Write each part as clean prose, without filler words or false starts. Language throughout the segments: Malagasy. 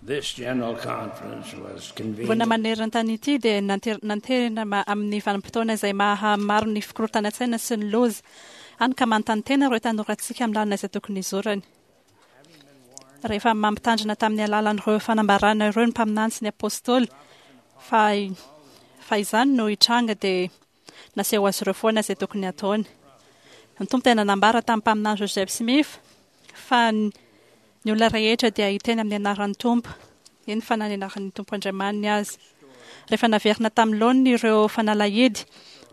This general conference was convened. Vona maneran-tany ity dia nanterina amin'ny vanim-potoana izay maha maro ny fikorontanan-tsaina sy ny loza, hany ka manontany tena ireo tanorantsika amin'ny lalana izay tokony hizorany. Rehefa mampitandrina tamin'ny alalan'ireo fanambarana ireo ny mpaminany sy ny apostoly fa fa izany no hitranga dia naseho azy ireo foana izay tokony hataony. Ny Tompo dia nanambara tamin'ny mpaminany Joseph Smith fa ny olona rehetra dia hiteny amin'ny anaran'ny Tompo, eny fa na ny anaran'ny Tompo Andriamaniny aza. Rehefa naverina tamin'ny laoniny ireo fanalahidy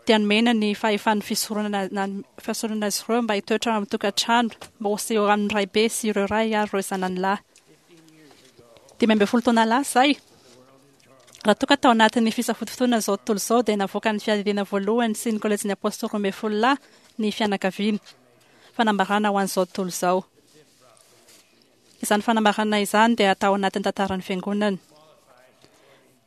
dia nomena ny fahefan'ny fisoronana fisoronana azy ireo mba hitoetra ao amin'ny tokantrano mba ho seho amin'ny raibe sy ireo ray ary ireo zanany lahy. 15 taona lasa izay, raha toa ka tao anatin'ny fisafotofotoana izao tontolo izao dia navoakan'ny fiadidiana voalohany sy ny kolejin'ny Apôstôly 12 lahy ny fianakaviana. Fanambarana ho an'izao tontolo izao. Izany fanambarana izany dia atao anatin'ny tantaran'ny Fiangonana.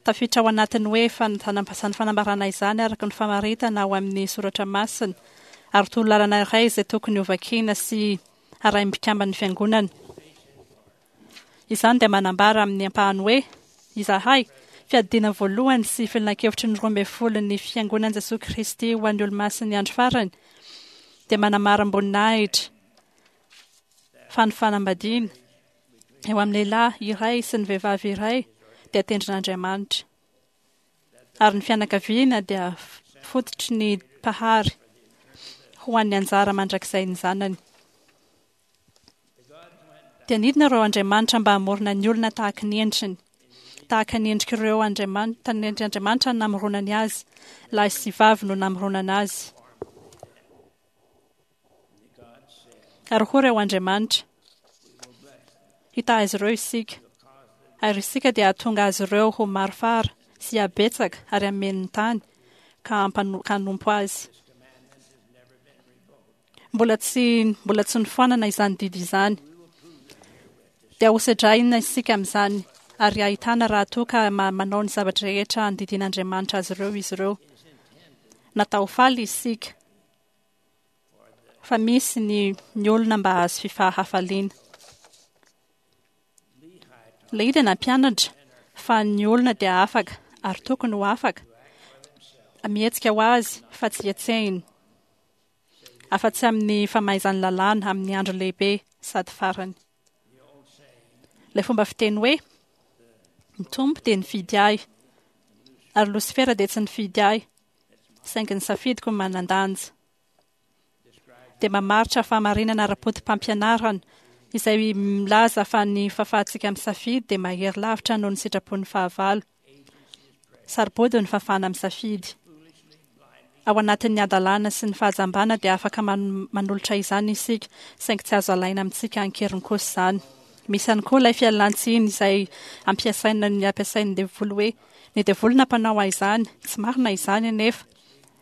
Tafiditra ao anatin'ny hoe izany fanambarana izany araka ny famaritana ao amin'ny soratra masina ary torolalana iray izay tokony hovakiana sy harahin'ny mpikamban'ny Fiangonana. Izany dia manambara amin'ny ampahany hoe, Izahay, Fiadidiana Voalohany sy Filankevitry ny Roambinifolon'ny Fiangonan'i Jesoa Kristy ho an'ny Olomasin'ny Andro Farany, dia manamarim-boninahitra fa ny fanambadiana eo amin'ny lehilahy iray sy ny vehivavy iray dia tendrin'Andriamanitra, ary ny fianakaviana dia fototry ny Mpahary ho an'ny anjara mandrakizain'ny zanany. Dia nidina ireo andriamanitra mba hamorona ny olona tahaka ny endriny. Tahaka ny endrik'ireo andriamanitra, ny endrik'Andriamanitra no namoronany azy, lahy sy vavy no namoronana azy. Ary hoy ireo andriamanitra, Hitaha azy ireo isika, ary isika dia hahatonga azy ireo ho maro fara sy habetsaka ary hameno ny tany ka hanompo azy. Mbola tsy mbola tsy nofoanana izany didy izany. Dia hosedraina isika amin'izany ary hahitana raha toa ka manao ny zavatra rehetra andidian'Andriamanitra azy ireo izy ireo. Natao ho faly isika fa misy ny ny olona mba hahazo fifahafaliana. Lehia dia nampianatra fa ny olona dia afaka ary tokony ho afaka mihetsika ho azy fa tsy hetsehina. afa-tsy amin'ny famaizan'ny lalàna amin'ny andro lehibe sady farany. Ilay fomba fiteny hoe, Ny Tompo dia nifidy ahy, ary Losifera dia tsy nifidy ahy, saingy ny safidiko no manan-danja, dia mamaritra fahamarinana ara-poto-pampianarana izay milaza fa ny fahafahantsika misafidy dia mahery lavitra noho ny sitrapon'ny fahavalo. Sarobody ny fahafahana misafidy. Ao anatin'ny hadalana sy ny fahajambana dia afaka manolotra izany isika, saingy tsy azo alaina amintsika an-keriny kosa izany. Misy ihany koa ilay fialan-tsiny izay ampiasaina ny ampiasain'ny devoly hoe, ny devoly nampanao ahy izany. Tsy marina izany anefa.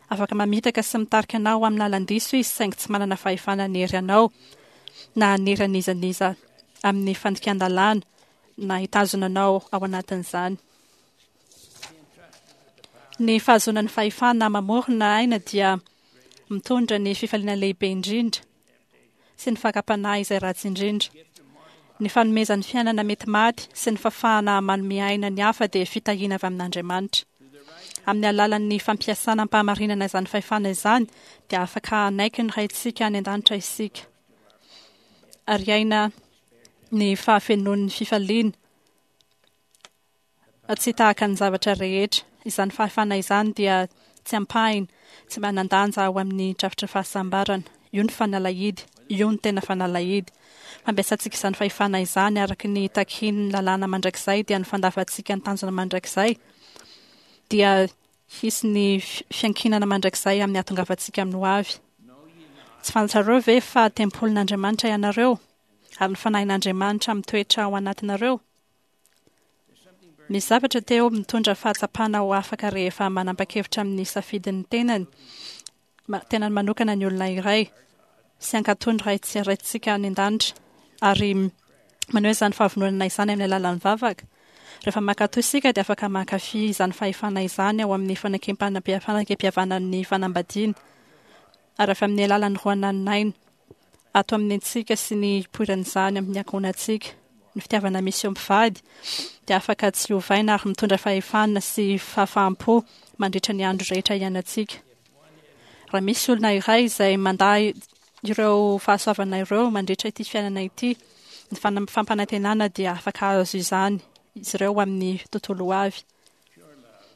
Afaka mamitaka sy mitarika anao amin'ny lalan-diso izy saingy tsy manana fahefana hanery anao na hanery an'iza n'iza amin'ny fandikan-dalàna na hitazona anao ao anatin'izany. Ny fahazoana ny fahefana mamorona aina dia mitondra ny fifaliana lehibe indrindra sy ny fakam-panahy izay ratsy indrindra. Ny fanomezan'ny fiainana mety maty sy ny fahafahana manome aina ny hafa dia fitahiana avy amin'Andriamanitra. Amin'ny alalan'ny fampiasana am-pahamarinana izany fahefana izany dia afaka hanaiky ny Raintsika any an-danitra isika ary hiaina ny fahafenoan'ny fifaliana tsy tahaka ny zavatra rehetra. Izany fahefana izany dia tsy ampahiny, tsy manan-danja ao amin'ny drafitry ny fahasambarana. Io ny fanalahidy, io no tena fanalahidy. Fampiasantsika izany fahefana izany araka ny takian'ny lalàna mandrakizay dia ny fandavantsika ny tanjona mandrakizay dia hisy ny fiankinana mandrakizay amin'ny hahatongavantsika amin'ny hoavy. Tsy fantatrareo ve fa tempolin'Andriamanitra ianareo ary ny Fanahin'Andriamanitra mitoetra ao anatinareo? Misy zavatra teo mitondra fahatsapana ho afaka rehefa manapa-kevitra amin'ny safidin'ny tenany, tenany manokana ny olona iray, sy hankatò ny Ray tsy Raintsika any An-danitra, ary maneho izany fahavononana izany amin'ny alalan'ny vavaka. Rehefa mankatò isika dia afaka mankafy izany fahefana izany ao amin'ny fanekempihavanan'ny fanambadiana, ary avy amin'ny alalan'ny roanan'aina ato amin'ny antsika sy ny hipoiran'izany amin'ny ankohonantsika. Ny fitiavana misy eo mpivady dia afaka tsy ovaina ary mitondra fahefana sy fahafaham-po mandritra ny andro rehetra iainantsika. Raha misy olona iray izay mandà ireo fahasoavana ireo mandritra ity fiainana ity, ny fampanantenana dia afaka hahazo izany izy ireo amin'ny tontolo ho avy.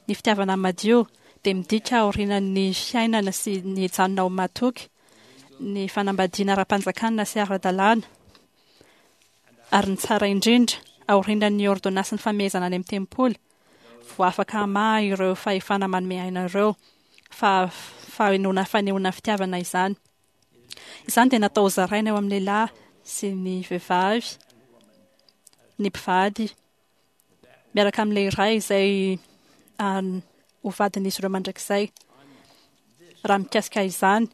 Ny fitiavana madio dia midika aorianan'ny fiainana sy ny hijanona ho matoky, ny fanambadiana ara-panjakana sy ara-dalàna, ary ny tsara indrindra, aorianan'ny ôrdônansin'ny famehezana any amin'ny tempoly, vao afaka hamaha ireo fahefana manome aina ireo, fa fahainoana fanehoana fitiavana izany. Izany dia natao hozaraina eo amin'ny lehilahy sy ny vehivavy, ny mpivady, miaraka amin'ilay iray izay ho vadin'izy ireo mandrakizay. Raha mikasika izany,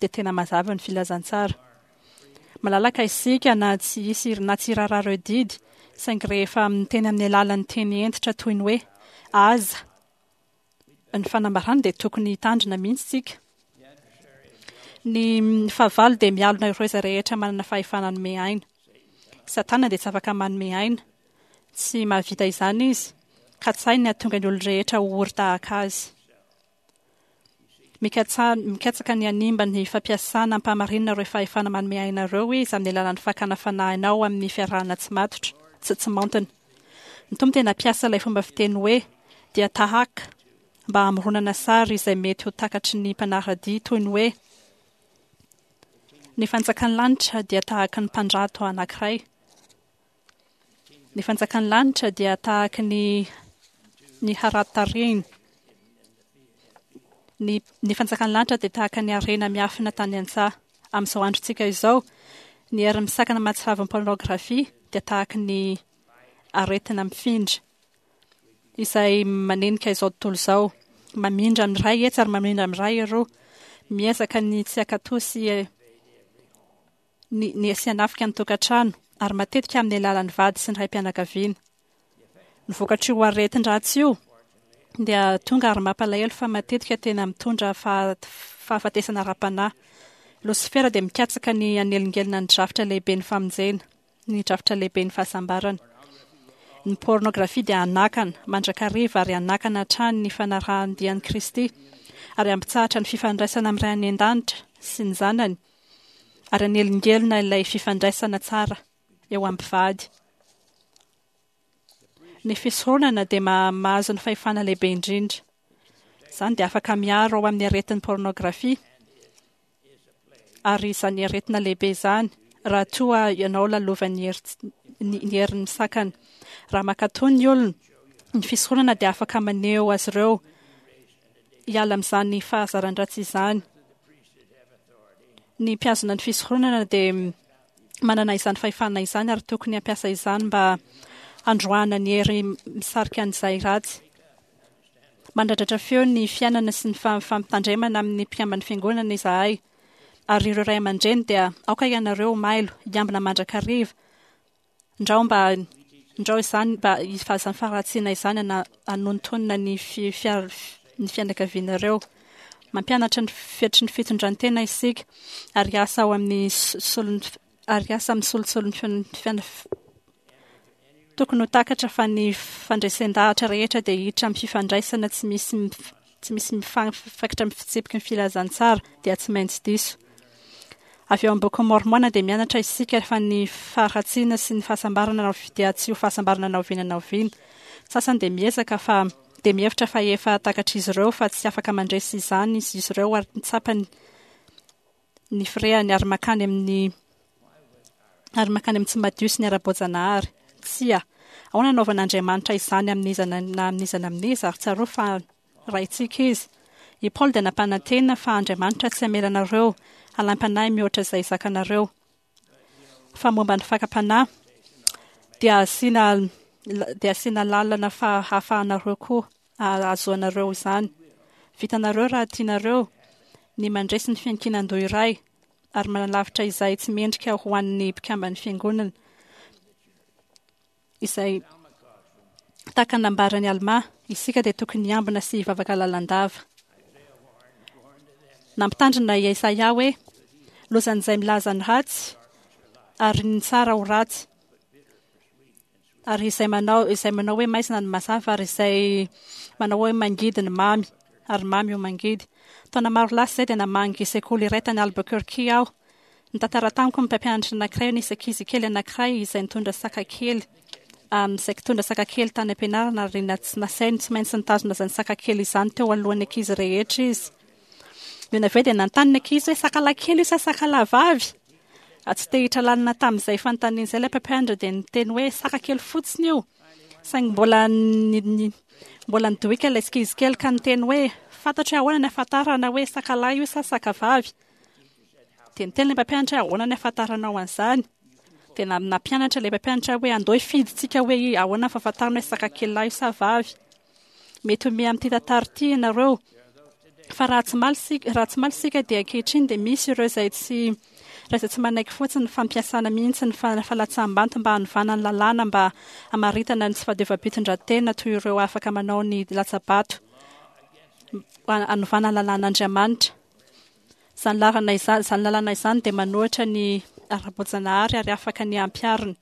dia tena mazava ny filazantsara. Malalaka isika na tsy hisy na tsy hiraharaha ireo didy, saingy rehefa miteny amin'ny alalan'ny teny hentitra toy ny hoe aza ny fanambarana dia tokony hitandrina mihitsy isika. Ny fahavalo dia mialona ireo izay rehetra manana fahefana hanome aina. Satana dia tsy afaka manome aina. Tsy mahavita izany izy, ka tsy hainy ny hahatonga ny olon-drehetra ho ory tahaka azy. Mikatsaka ny hanimba ny fampiasana am-pahamarinana ireo fahefana manome aina ireo izy amin'ny alalan'ny fakana fanahy anao amin'ny fiarahana tsy matotra, tsy tsy maontina. Ny Tompo dia nampiasa ilay fomba fiteny hoe dia tahaka mba hamoronana sary izay mety ho takatry ny mpanara-dia toy ny hoe ny fanjakan'ny lanitra dia tahaka ny mpandrato anankiray. Ny fanjakan'ny lanitra dia tahaka ny ny harato tarehiny. Ny, ny fanjakan'ny lanitra dia tahaka ny harena miafina tany an-tsaha. Amin'izao androntsika izao, ny hery misakana mahatsiravon'ny pornografia dia tahaka ny aretina mifindra izay manenika izao tontolo izao. Mamindra amin'ny iray etsy ary mamindra amin'ny iray eroa. Miezaka ny tsy hankatò sy ny ny sy hanafika ny tokantrano, ary matetika amin'ny alalan'ny vady sy ny raim-pianakaviana. Ny vokatr'io aretin-dratsy io dia tonga ary mampalahelo fa matetika tena mitondra fahafatesana ara-panahy. Losifera dia mikatsaka ny hanelingelina ny drafitra lehiben'ny famonjena, ny drafitra lehiben'ny fahasambarana. Ny pôrnôgrafia dia hanakana mandrakariva ary hanakana hatrany ny fanarahan-dia an'i Kristy ary hampitsahatra ny fifandraisana amin'ny Ray any An-danitra sy ny Zanany ary hanelingelina ilay fifandraisana tsara eo amin'ny mpivady. Ny fisoronana dia mahazo ny fahefana lehibe indrindra. Izany dia afaka miaro ao amin'ny aretin'ny pornografia, ary izany aretina lehibe izany, raha toa ianao lalovan'ny ny herin'ny misakana. Raha mankatò ny olona, ny fisoronana dia afaka maneho azy ireo hiala amin'izany fahazaran-dratsy izany. Ny mpihazona ny fisoronana dia manana izany fahefana izany ary tokony hampiasa izany mba handroahana ny hery misarika an'izay ratsy. Mandradratra feo ny fiainana sy ny fampitandremana amin'ny mpikamban'ny fiangonana izahay. Ary ireo ray aman-dreny dia aoka ianareo ho mailo, hiambina mandrakariva, Ndrao mba, ndrao izany mba, izany faharatsiana izany ana, anontonona ny fi, fiar, ny fianakavianareo. Mampianatra ny fetry ny fitondran-tena isika, ary hiasa ao amin'ny solon'ny, ary hiasa amin'ny solotsolon'ny fiana, Tokony ho takatra fa ny fandresen-dahatra rehetra dia hiditra amin'ny fifandraisana tsy misy tsy misy mifankitra amin'ny fitsipiky ny filazantsara dia tsy maintsy diso. Avy ao amin'ny Bokin'i Môrmôna dia mianatra isika fa ny faharatsiana sy ny fahasambarana dia tsy ho fahasambarana na oviana na oviana. Ny sasany dia miezaka fa dia mihevitra fa efa takatr'izy ireo fa tsy afaka mandresy izany izy ireo ary tsapany ny firehany ary mankany amin'ny ary mankany amin'ny tsy madio sy ny ara-boajanahary. Tsia. Ahoana anaovan'Andriamanitra izany amin'iza na amin'iza na amin'iza ary tsarovy fa Raintsika Izy. I Paoly dia nampanantena fa Andriamanitra tsy hamela anareo halaim-panahy mihoatra izay zakanareo. Fa momba ny fakam-panahy, dia asiana dia asiana lalana fa hahafahanareo koa hahazoanareo izany. Vitanareo raha tianareo ny mandresy ny fiankinan-doha iray ary manalavitra izay tsy mendrika ho an'ny mpikamban'ny fiangonana. Izay tahaka ny nambaran'i Almà, isika dia tokony hiambina sy hivavaka lalandava. Nampitandrina i Isaia hoe, Lozan'izay milaza ny ratsy. ary ny tsara ho ratsy. Ary izay manao, izay manao hoe maizina ny mazava, ary izay manao hoe mangidy ny mamy, ary mamy ho mangidy. Taona maro lasa izay dia namangy sekoly iray tany Albuquerque aho. Nitantara tamiko ny mpampianatra anankiray hoe nisy ankizy kely anankiray izay nitondra saka kely, izay nitondra saka kely tany am-pianarana ary nasainy tsy maintsy nitazona izany saka kely izany teo alohan'ny ankizy rehetra izy. Nony avy eo dia nanontany ny ankizy hoe sakalahy kely io sa sakalahy vavy? Tsy te hiditra lalina tamin'izay fanontaniana izay ilay mpampianatra dia niteny hoe saka kely fotsiny io. Saingy mbola mbola nidohika ilay ankizy kely ka niteny hoe fantatro hoe ahoana ny ahafantarana hoe sakalahy io sa saka vavy. Dia niteny ilay mpampianatra hoe ahoana ny ahafantaranao an'izany? Dia nampianatra ilay mpampianatra hoe andao hifidintsika hoe ahoana ny fahafantarana hoe saka kely lahy io sa vavy. Mety ho miha amin'ity tantara ity ianareo. Fa raha tsy maly isika, raha tsy maly isika dia ankehitriny dia misy ireo izay tsy raha izay tsy manaiky fotsiny ny fampiasana mihitsy ny falatsaham-banto mba hanovana ny lalàna mba hamaritana ny tsy fahadiovam-pitondran-tena toy ireo afaka manao ny latsa-bato hanovana ny lalàn'Andriamanitra. Izany lalana izany, izany lalàna izany dia manohitra ny ara-boajanahary ary afaka ny hampiharina.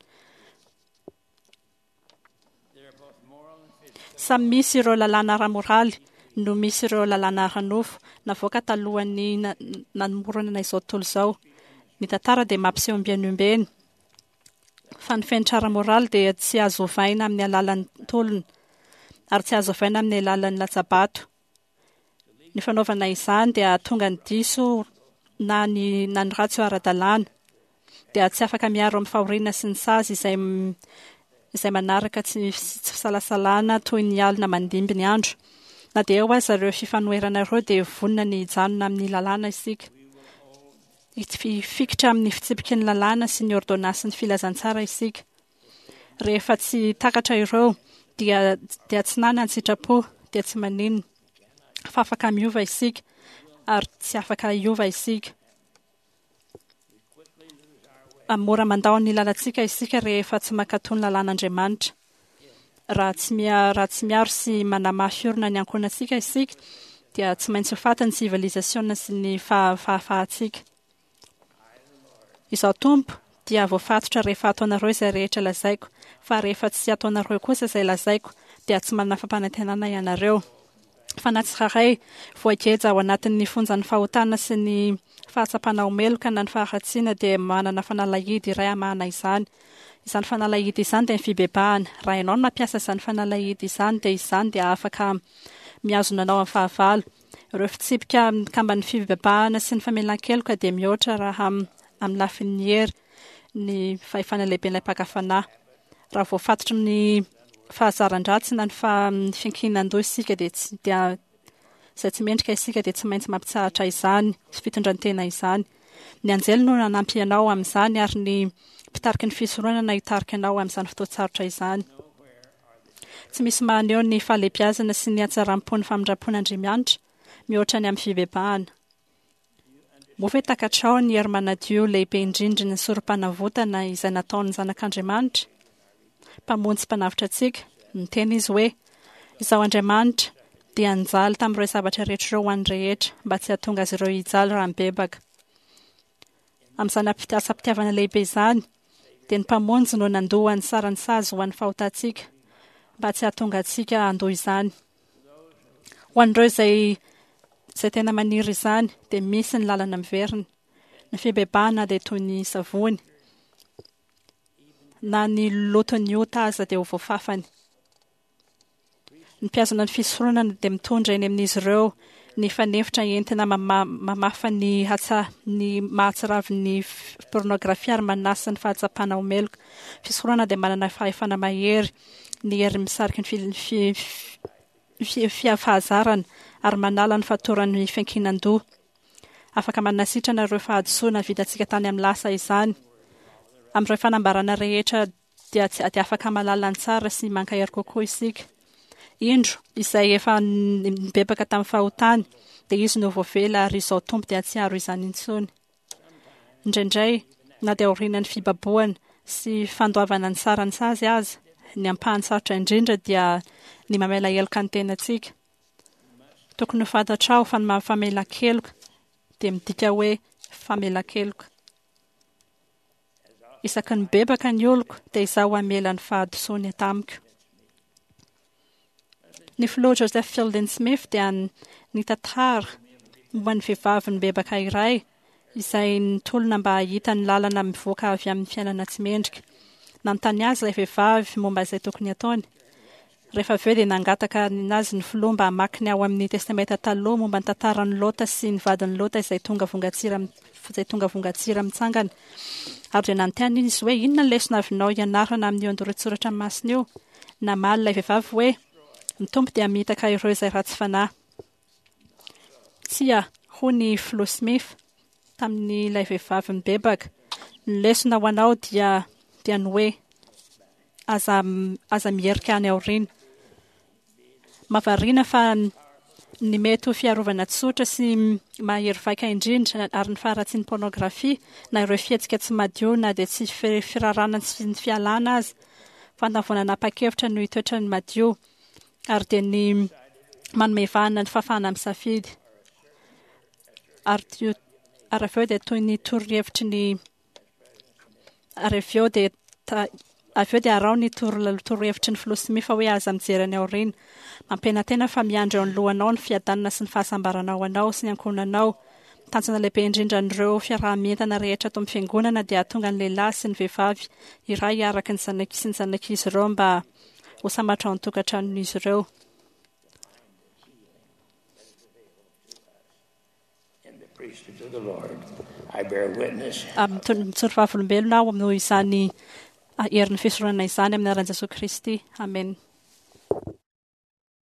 Samy misy ireo lalàna ara-moraly no misy ireo lalàna ara-nofo navoaka talohan'ny namoronana izao tontolo izao. Ny tantara dia mampiseho ombieny ombieny fa ny fenitra ara-moraly dia tsy azo ovaina amin'ny alalan'ny tolona ary tsy azo ovaina amin'ny alalan'ny latsa-bato. Ny fanaovana izany dia hahatonga ny diso na ny na ny ratsy ho ara-dalàna. Dia tsy afaka miaro amin'ny fahoriana sy ny sazy izay izay manaraka tsy tsy fisalasalana toy ny alina mandimby ny andro. Na dia eo aza ireo fifanoherana ireo dia vonona ny hijanona amin'ny lalàna isika. Hifikitra amin'ny fitsipiky ny lalàna sy ny ôrdônansin'ny filazantsara isika. Rehefa tsy takatra ireo dia dia tsy nana ny sitrapo dia tsy maninona fa afaka miova isika ary tsy afaka hiova isika. Mora mandao ny lalantsika isika rehefa tsy mankatò ny lalàn'Andriamanitra. Raha tsy raha tsy miaro sy manamafy orina ny ankohonantsika isika dia tsy maintsy ho faty ny sivilizasiona sy ny fahafahantsika. Izaho Tompo dia voafatotra rehefa ataonareo izay rehetra lazaiko, fa rehefa tsy ataonareo kosa izay lazaiko, dia tsy manana fampanantenana ianareo. Fa na tsirairay voageja ao anatin'ny fonjan'ny fahotana sy ny fahatsapana ho meloka na ny faharatsiana dia manana fanalahidy iray hamahana izany. Izany fanalahidy izany dia ny fibebahana. Raha ianao no mampiasa izany fanalahidy izany dia izany dia afaka mihazona anao amin'ny fahavalo. Ireo fitsipika mikamban'ny fibebahana sy ny famelan-keloka dia mihoatra raha amin'ny lafiny hery ny fahefana lehiben'ilay mpaka fanahy. Raha voafatotry ny fahazaran-dratsy na ny fiankinan-doha isika dia tsy dia izay tsy mendrika isika dia tsy maintsy mampitsahatra izany fitondran-tena izany. Ny anjely no nanampy anao amin'izany ary ny mpitariky ny fisoronana hitarika anao amin'izany fotoan-tsarotra izany. Tsy misy mahaneho ny fahalehibiazana sy ny hatsaram-pon'ny famindram-pon'Andriamianitra mihoatra ny amin'ny fibebahana. Moa ve takatrao ny hery manadio lehibe indrindry ny sorom-panavotana izay nataon'ny Zanak'Andriamanitra, Mpamonjy sy Mpanavotra antsika? Niteny Izy hoe, Izaho Andriamanitra dia nijaly tamin'ireo zavatra rehetra ireo ho an'ny rehetra, mba tsy hahatonga azy ireo hijaly raha mibebaka. Amin'izany asam-pitiavana lehibe izany, dia ny Mpamonjy no nandoa ny saran'ny sazy ho an'ny fahotantsika, mba tsy hahatonga antsika handoa izany. Ho an'ireo izay izay tena maniry izany, dia misy ny lalana miverina. Ny fibebahana dia toy ny savony. Na ny loton'ny ota aza dia ho voafafany. Ny mpihazona ny fisoronana dia mitondra eny amin'izy ireo ny fanefitra entina mamafa ny hatsa ny mahatsiravin'ny pornografia ary manasa ny fahatsapana ho meloka. Fisoronana dia manana fahefana mahery ny hery misariky ny fahazarana ary manala ny fatoran'ny fiankinan-doha. Afaka manasitrana ireo fahadisoana vitantsika tany amin'ny lasa izany. Amin'ireo fanambarana rehetra dia tsy dia afaka mahalala ny tsara sy mankahery kokoa isika. Indro, izay efa nibebaka tamin'ny fahotany, dia izy no voavela ary izao Tompo dia tsy hiaro izany intsony. Indraindray, na dia aorianan'ny fibabohana sy fandoavana ny saran'ny sazy aza, ny ampahany sarotra indrindra dia ny mamela heloka ny tenantsika. Tokony ho fantatrao fa ny maha-famelan-keloka dia midika hoe famelan-keloka. Isaky ny mibebaka ny oloko, dia Izaho hamela ny fahadisoany tamiko. Ny filoha Joseph Fielding Smith dia nitantara momba ny vehivavy nibebaka iray izay nitolona mba hahita ny lalana mivoaka avy amin'ny fiainana tsy mendrika. Nanontany azy ilay vehivavy momba izay tokony hataony. Rehefa avy eo dia nangataka azy ny filoha mba hamaky ny ao amin'ny Testamenta Taloha momba ny tantaran'i Lota sy ny vadin'i Lota izay tonga vongantsira izay tonga vongantsira mitsangana. Ary dia nanontany izy hoe, Inona ny lesona avinao ianarana amin'io andoran-tsoratra masina io? Namaly ilay vehivavy hoe, Ny Tompo dia hamitaka ireo izay ratsy fanahy. Tsia, hoy ny Filoha Smith tamin'ilay vehivavy nibebaka, ny lesona ho anao dia dia ny hoe aza aza miherika any aoriana. Mahavariana fa ny mety ho fiarovana tsotra sy mahery vaika indrindra ary ny faharatsian'ny pôrnôgrafia na ireo fihetsika tsy madio na dia tsy firarana sy ny fialana aza fantany vao nanapa-kevitra no hitoetra ny madio ary dia ny manome vahana ny fahafahana misafidy ary ary avy eo dia toy ny torohevitry ny Ary avy eo dia avy eo dia araho ny torohevitry ny filoha Smith hoe aza mijery any aoriana. Mampianantena fa miandry eo anoloanao ny fiadanana sy ny fahasambarana ho anao sy ny ankohonanao. Tanjona lehibe indrindra an'ireo fiaraha-mientana rehetra ato amin'ny Fiangonana dia hahatonga ny lehilahy sy ny vehivavy iray araka ny zanak sy ny zanak'izy ireo mba ho sambatra ao an-tokantranon'izy ireo. Mijoro vavolombelona aho noho izany herin'ny fisoronana izany amin'ny anaran'i Jesoa Kristy. Amena.